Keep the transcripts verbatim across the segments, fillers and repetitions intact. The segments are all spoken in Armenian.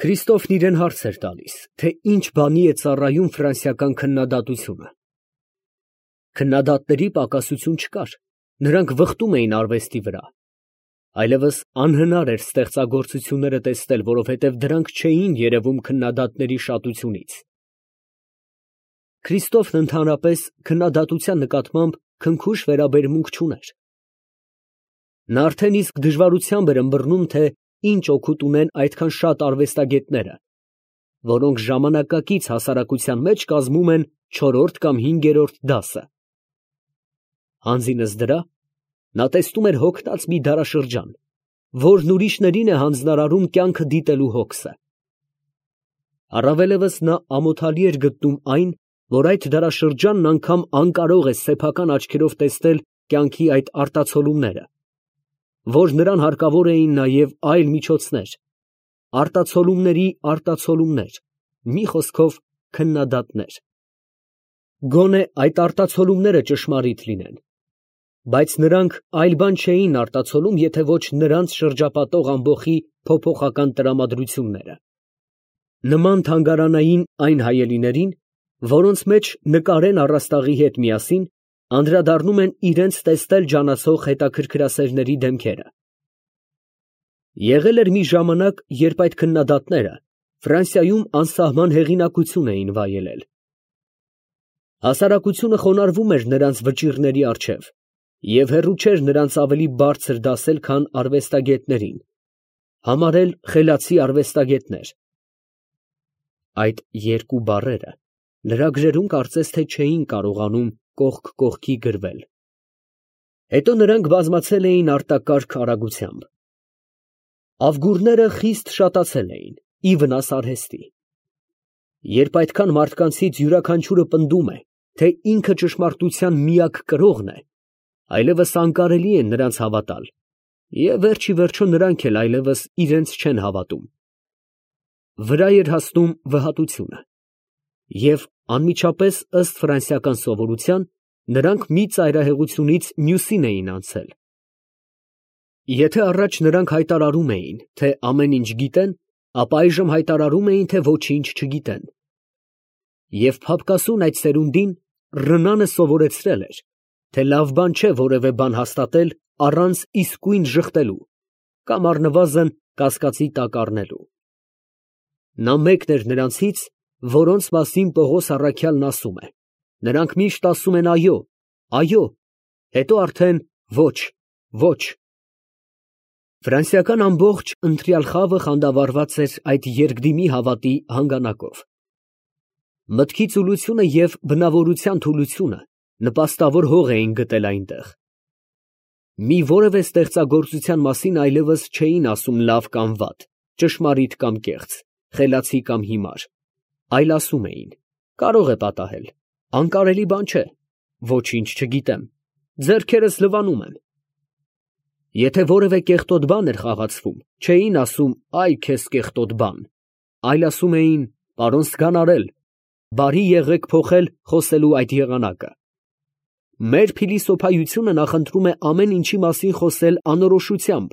Քրիստոֆն իրան հարց էր տալիս, թե ինչ բանի է ծառայում ֆրանսիական քննադատությունը։ Քննադատների պակասություն չկար, նրանք վխտում էին արվեստի վրա, այլևս անհնար էր ստեղծագործությունները տեսնել, որովհետև դրանք չէին երևում քննադատների շատությունից։ Քրիստոֆն ընդհանրապես քննադատության նկատմամբ քնքուշ վերաբերմունք չուներ։ Նա արդեն իսկ դժվարությամբ էր ըմբռնում, թե ինչ օգուտ ունեն այդքան շատ արվեստագետները, որոնք ժամանակակից հասարակության մեջ կազմում են չորրորդ կամ հինգերորդ դասը։ Հանձինս դրա, նա տեսնում էր հոգնած մի դարաշրջան, որն ուրիշներին է հանձնարարում կյանքը դիտելու հոգսը։ Առավելևս նա ամոթալի էր գտնում այն, որ այդ դարաշրջանն անգամ անկարող է սեփական աչքերով տեսնել կյանքի այդ արտացոլումները, որ նրան հարկավոր էին նաև այլ միջոցներ, արտացոլումների արտացոլումներ, մի խոսքով քննադատներ։ Գոնե այդ արտացոլումները ճշմարիտ լինեն, բայց նրանք այլ բան չէին արտացոլում, եթե ոչ նրանց շրջապատող ամբոխի փոփոխական տրամադրությունները։ Նման թանգարանային այն հայելիներին, որոնց մեջ նկարեն առաստաղի հետ միասին, անդրադառնում են իրենց տեսնել ջանացող հետաքրքրասերների դեմքերը։ Եղել էր մի ժամանակ, երբ այդ քննադատները Ֆրանսիայում անսահման հեղինակություն էին վայելել։ Հասարակությունը խոնարհվում էր նրանց վճիռների առջև և հեռու չէր նրանց ավելի բարձր դասել, քան արվեստագետներին, համարել խելացի արվեստագետներ։ Այդ երկու բառերը նրա գրերում կարծես թե չէին կարողանում կողք կողքի գրվել։ Հետո նրանք բազմացել էին արտակարգ արագությամբ։ Ավգուրները խիստ շատացել էին, ի վնաս արհեստի։ Երբ այդքան մարդկանցից յուրաքանչյուրը պնդում է, թե ինքը ճշմարտության միակ կրողն է, այլևս անկարելի է նրանց հավատալ, և վերջ ի վերջո նրանք էլ այլևս իրենց չեն հավատում։ Վրա էր հասնում վհատությունը, և անմիջապես ըստ ֆրանսիական սովորության, նրանք մի ծայրահեղությունից մյուսին էին անցել։ Եթե առաջ նրանք հայտարարում էին, թե ամեն ինչ գիտեն, ապա այժմ հայտարարում էին, թե ոչինչ չգիտեն։ Եվ փափկասուն այդ սերունդին Ռնանը սովորեցրել էր, թե լավ բան չէ որևէ բան հաստատել առանց իսկույն ժխտելու կամ առնվազն կասկածի տակ առնելու։ Նա մեկն էր նրանցից, որոնց մասին Պողոս առաքյալն ասում է. նրանք միշտ ասում են այո, այո, հետո արդեն ոչ, ոչ։ Ֆրանսիական ամբողջ ընտրյալ խավը խանդավառված էր այդ երկդիմի հավատի հանգանակով։ Մտքի ծուլությունը և բնավորության թուլությունը նպաստավոր հող էին գտել այնտեղ։ Մի որևէ ստեղծագործության մասին այլևս չէին ասում լավ կամ վատ, ճշմարիտ կամ կեղծ, խելացի կամ հիմար, այլ ասում էին. կարող է պատահել, անկարելի բան չէ, ոչինչ չգիտեմ, ձեռքերս լվանում եմ։ Եթե որևէ կեղտոտ բան էր խաղացվում, չէին ասում այ քեզ կեղտոտ բան, այլ ասում էին պարոն Սգանարել, բարի եղեք փոխել խոսելու այդ եղանակը։ Մեր փիլիսոփայությունը նախընտրում է ամեն ինչի մասին խոսել անորոշությամբ,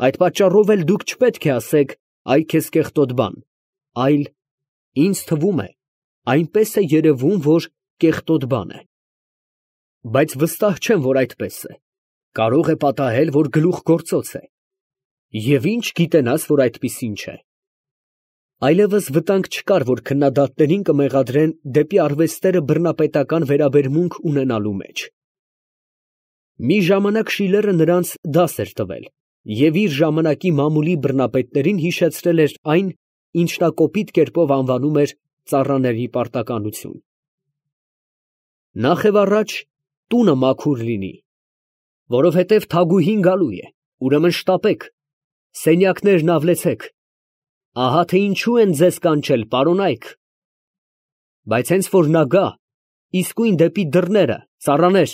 այդ պատճառով էլ դուք չպետք է ասեք այ քեզ կեղտոտ բան, այլ ինձ թվում է, այնպես է երևում, որ կեղտոտ բան է։ Բայց վստահ չեմ, որ այդպես է, կարող է պատահել, որ գլուխգործոց է, և ինչ գիտենաս, որ այդպիսին չէ։ Այլևս վտանգ չկար, որ քննադատներին կմեղադրեն դեպի արվեստները բռնապետական վերաբերմունք ունենալու մեջ։ Մի ժամանակ Շիլերը նրանց դաս էր տվել և իր ժամանակի մամուլի բռնապետներին հիշեցրել էր այն, ինչ նա կոպիտ կերպով անվանում էր ծառաների պարտականություն։ Նախ և առաջ տունը մաքուր լինի, որովհետև թագուհին գալու է, ուրեմն շտապեք, սենյակներն ավլեցեք, ահա թե ինչու են ձեզ կանչել, պարոնայք։ Բայց հենց որ նա գա, իսկույն դեպի դռները, ծառաներ,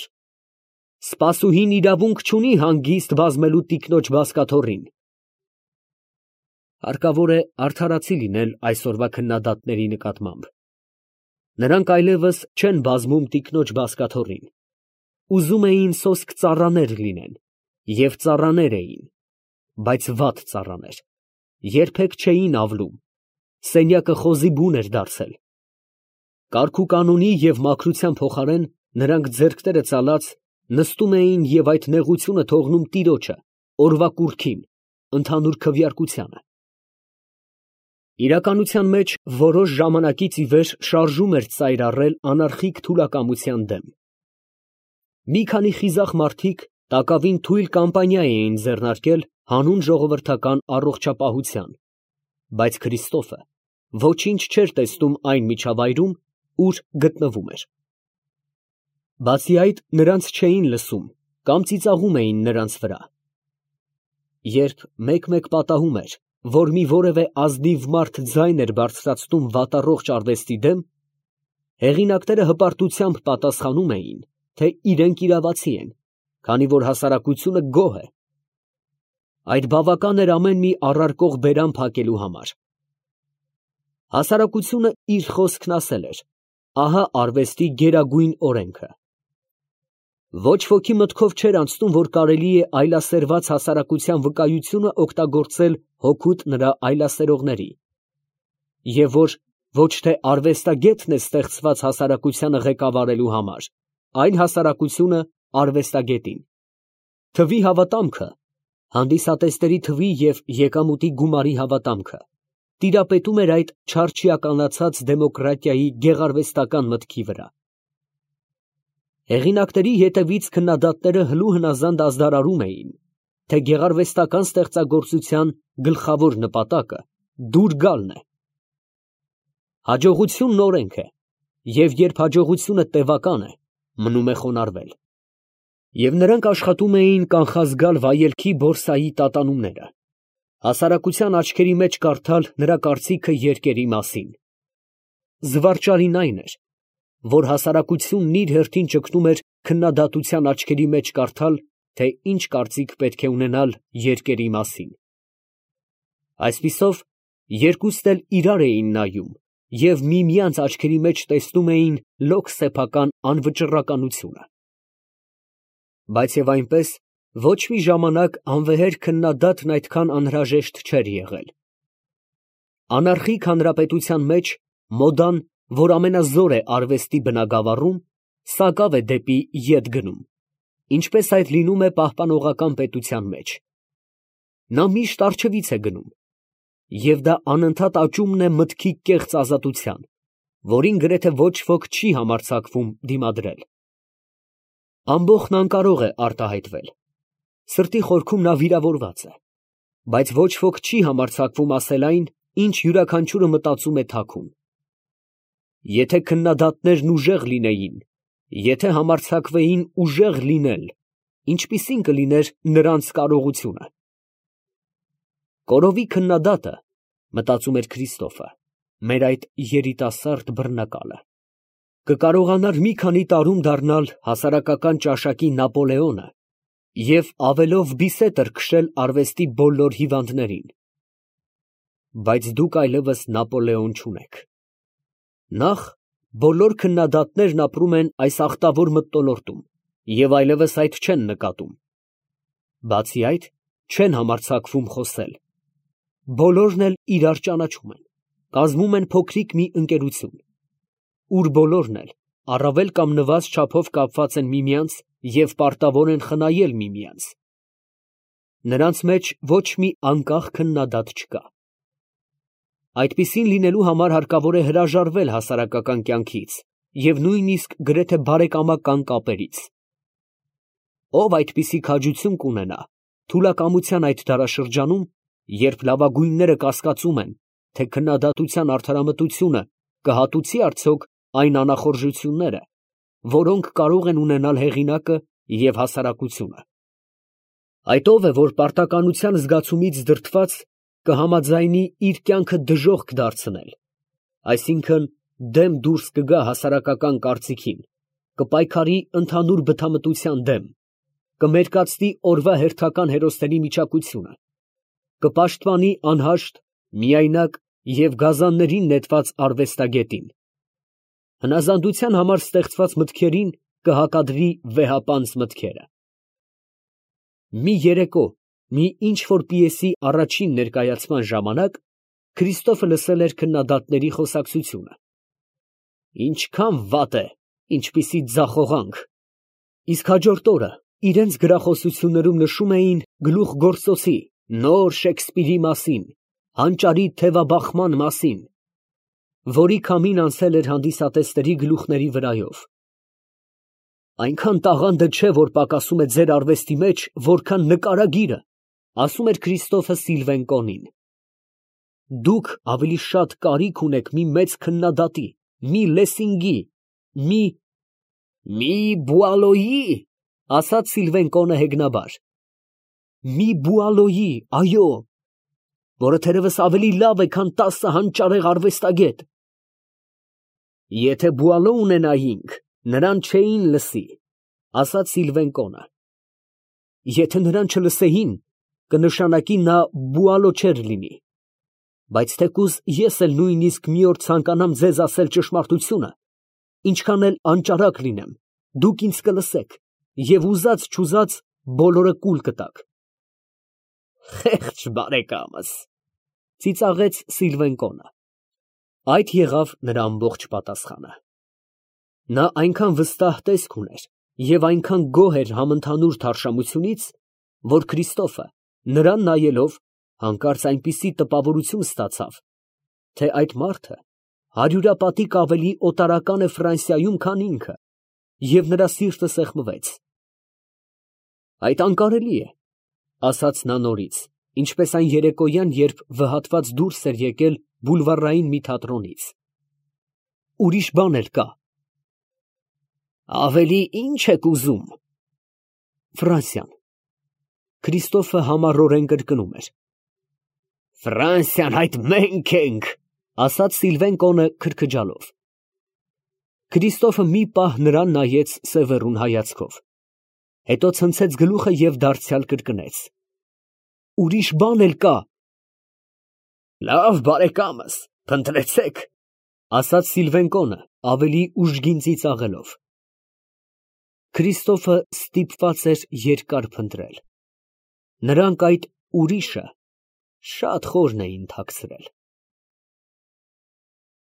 սպասուհին իրավունք չունի հանգիստ բազմելու տիկնոջ բազկաթոռին։ Հարկավոր է արդարացի լինել այսօրվա քննադատների նկատմամբ։ Նրանք այլևս չեն բազմում տիկնոջ բազկաթոռին, ուզում էին սոսկ ծառաներ լինեն, և ծառաներ էին, բայց վատ ծառաներ։ երբեք չէին ավլում, սենյակը խոզի բուն էր դարձել։ Կարգուկանոնի և մաքրության փոխարեն նրանք ձեռքները ծալած նստում էին և այդ նեղությունը թողնում տիրոջը, օրվա կուռքին, ընդհանուր քվեարկությանը։ Իրականության մեջ որոշ ժամանակից ի վեր շարժում էր ծայր առել անարխիկ թուլակամության դեմ։ Մի քանի խիզախ մարդիկ տակավին թույլ կամպանիա էին ձեռնարկել հանուն ժողովրդական առողջապահության, բայց Քրիստոֆը ոչինչ չէր տեսնում այն միջավայրում, ուր գտնվում էր։ Բացի այդ, նրանց չէին լսում կամ ծիծաղում էին նրանց վրա։ Երբ մեկ֊մեկ պատահում էր, որ մի որևէ ազնիվ մարդ ձայն էր բարձրացնում վատառողջ արվեստի դեմ, հեղինակները հպարտությամբ պատասխանում էին, թե իրենք իրավացի են, քանի որ հասարակությունը գոհ է։ Այդ բավական էր ամեն մի առարկող բերան փակելու համար։ Հասարակությունը իր խոսքն ասել էր, ահա արվեստի գերագույն օրենքը։ Ոչ ոքի մտքով չէր անցնում, որ կարելի է այլասերված հասարակության վկայությունը օգտագործել հօգուտ նրա այլասերողների, և որ ոչ թե արվեստագետն է ստեղծված հասարակությանը ղեկավարելու համար, այլ հասարակությունը արվեստագետին։ Թվի հավատամքը, հանդիսատեսների թվի և եկամուտի գումարի հավատամքը տիրապետում էր այդ չարչիականացած դեմոկրատիայի գեղարվեստական մտքի վրա։ Հեղինակների ետևից քննադատները հլու հնազանդ ազդարարում էին, թե գեղարվեստական ստեղծագործության գլխավոր նպատակը դուր գալն է։ Հաջողությունն օրենք է, և երբ հաջողությունը տևական է, մնում է խոնարհվել։ Եվ նրանք աշխատում էին կանխազգալ վայելքի բորսայի տատանումները, հասարակության աչքերի մեջ կարդալ նրա կարծիքը երկերի մասին։ Զվարճալին այն էր, որ հասարակությունն իր հերթին ճգնում էր քննադատության աչքերի մեջ կարդալ, թե ինչ կարծիք պետք է ունենալ երկերի մասին։ Այսպիսով, երկուստ էլ իրար էին նայում և միմյանց աչքերի մեջ տեսնում էին լոկ սեփական անվճռականությունը։ Բայց և այնպես, ոչ մի ժամանակ անվեհեր քննադատն այդքան անհրաժեշտ չէր եղել։ Անարխիկ հանրապետության մեջ մոդան, որ ամենազոր է արվեստի բնագավառում, սակավ է դեպի ետ գնում, ինչպես այդ լինում է պահպանողական պետության մեջ։ Նա միշտ առջևից է գնում, և դա անընդհատ աճումն է մտքի կեղծ ազատության, որին գրեթե ոչ ոք չի համարձակվում դիմադրել։ Ամբոխն անկարող է արտահայտվել, սրտի խորքում նա վիրավորված է, բայց ոչ ոք չի համարձակվում ասել այն, ինչ յուրաքանչյուրը մտածում է թաքուն։ Եթե քննադատներն ուժեղ լինեին, եթե համարձակվեին ուժեղ լինել, ինչպիսի՞ն կլիներ նրանց կարողությունը։ Կորովի քննադատը, մտածում էր Քրիստոֆը, մեր այդ երիտասարդ բռնակալը, կկարողանար մի քանի տարում դառնալ հասարակական ճաշակի Նապոլեոնը և ավելով բիսետր քշել արվեստի բոլոր հիվանդներին։ Բայց դուք այլևս Նապոլեոն չունեք։ Նախ, բոլոր քննադատներն ապրում են այս ախտավոր մթնոլորտում և այլևս այդ չեն նկատում։ Բացի այդ, չեն համարձակվում խոսել։ Բոլորն էլ իրար ճանաչում են, կազմում են փոքրիկ մի ընկերություն, ուր բոլորն էլ առավել կամ նվազ չափով կապված են միմյանց և պարտավոր են խնայել միմյանց։ Նրանց մեջ ոչ մի անկախ քննադատ չկա։ Այդպիսին լինելու համար հարկավոր է հրաժարվել հասարակական կյանքից և նույնիսկ գրեթե բարեկամական կապերից։ Ով այդպիսի քաջություն կունենա թուլակամության այդ դարաշրջանում, երբ լավագույնները կասկածում են, թե քննադատության արդարամտությունը կհատուցի արդյոք այն անախորժությունները, որոնք կարող են ունենալ հեղինակը և հասարակությունը։ Այդ ով է, որ պարտականության զգացումից դրդված կհամաձայնի իր կյանքը դժոխք դարձնել, այսինքն դեմ դուրս կգա հասարակական կարծիքին, կպայքարի ընդհանուր բթամտության դեմ, կմերկացնի օրվա հերթական հերոսների միջակությունը, կպաշտպանի անհաշտ, միայնակ և գազաններին նետված արվեստագետին, հնազանդության համար ստեղծված մտքերին կհակադրի վեհապանծ մտքերը։ Մի երեկո Մի ինչ-որ պիեսի առաջին ներկայացման ժամանակ Քրիստոֆը լսել էր քննադատների խոսակցությունը. «Ինչքան վատ է, ինչպիսի ձախողանք», իսկ հաջորդ օրը իրենց գրախոսություններում նշում էին գլուխգործոցի, նոր Շեքսպիրի մասին, հանճարի թևաբախման մասին, որի քամին անցել էր հանդիսատեսների գլուխների վրայով։ «Այնքան տաղանդը չէ, որ պակասում է ձեր արվեստի մեջ, որքան նկարագիրը», ասում էր Քրիստոֆը Սիլվենկոնին։ «Դուք ավելի շատ կարիք ունեք մի մեծ քննադատի, մի Լեսինգի, մի… մի Բուալոյի, ասաց Սիլվենկոնը հեգնաբար, մի Բուալոյի, այո, որը թերևս ավելի լավ է, քան տասը հանճարեղ արվեստագետ։ Եթե Բուալո ունենայինք, նրան չէին լսի, ասաց Սիլվենկոնը։ Եթե նրան չլսեին, կնշանակի նա Բուալո չէր լինի։ Բայց թեկուզ ես էլ նույնիսկ մի օր ցանկանամ ձեզ ասել ճշմարտությունը, ինչքան էլ անճարակ լինեմ, դուք ինձ կլսեք և ուզած֊չուզած բոլորը կուլ կտաք։ Խեղճ բարեկամս, ծիծաղեց Սիլվենկոնը։ Այդ եղավ նրա ամբողջ պատասխանը։ Նա այնքան վստահ տեսք ուներ և այնքան գոհ էր համընդհանուր թարշամությունից, որ Քրիստոֆը, նրան նայելով, հանկարծ այնպիսի տպավորություն ստացավ, թե այդ մարդը հարյուրապատիկ ավելի օտարական է Ֆրանսիայում, քան ինքը, և նրա սիրտը սեղմվեց։ Այդ անկարելի է, ասաց նա նորից, ինչպես այն երեկոյան, երբ վհատված դուրս էր եկել բուլվարային մի թատրոնից։ Ուրիշ բան էլ կա։ Ավելի ի՞նչ եք ուզում։ Ֆրանսիան։ Քրիստոֆը համառորեն կրկնում էր։ Ֆրանսիան այդ մենք ենք, ասաց Սիլվենկոնը քրքջալով։ Քրիստոֆը մի պահ նրան նայեց սևեռուն հայացքով, հետո ցնցեց գլուխը և դարձյալ կրկնեց. Ուրիշ բան էլ կա։ Լավ, բարեկամս, փնտրեցեք, ասաց Սիլվենկոնը ավելի ուժգին ծիծաղելով։ Քրիստոֆը ստիպված էր երկար փնտրել։ Նրանք այդ ուրիշը շատ խորն էին թաքցրել։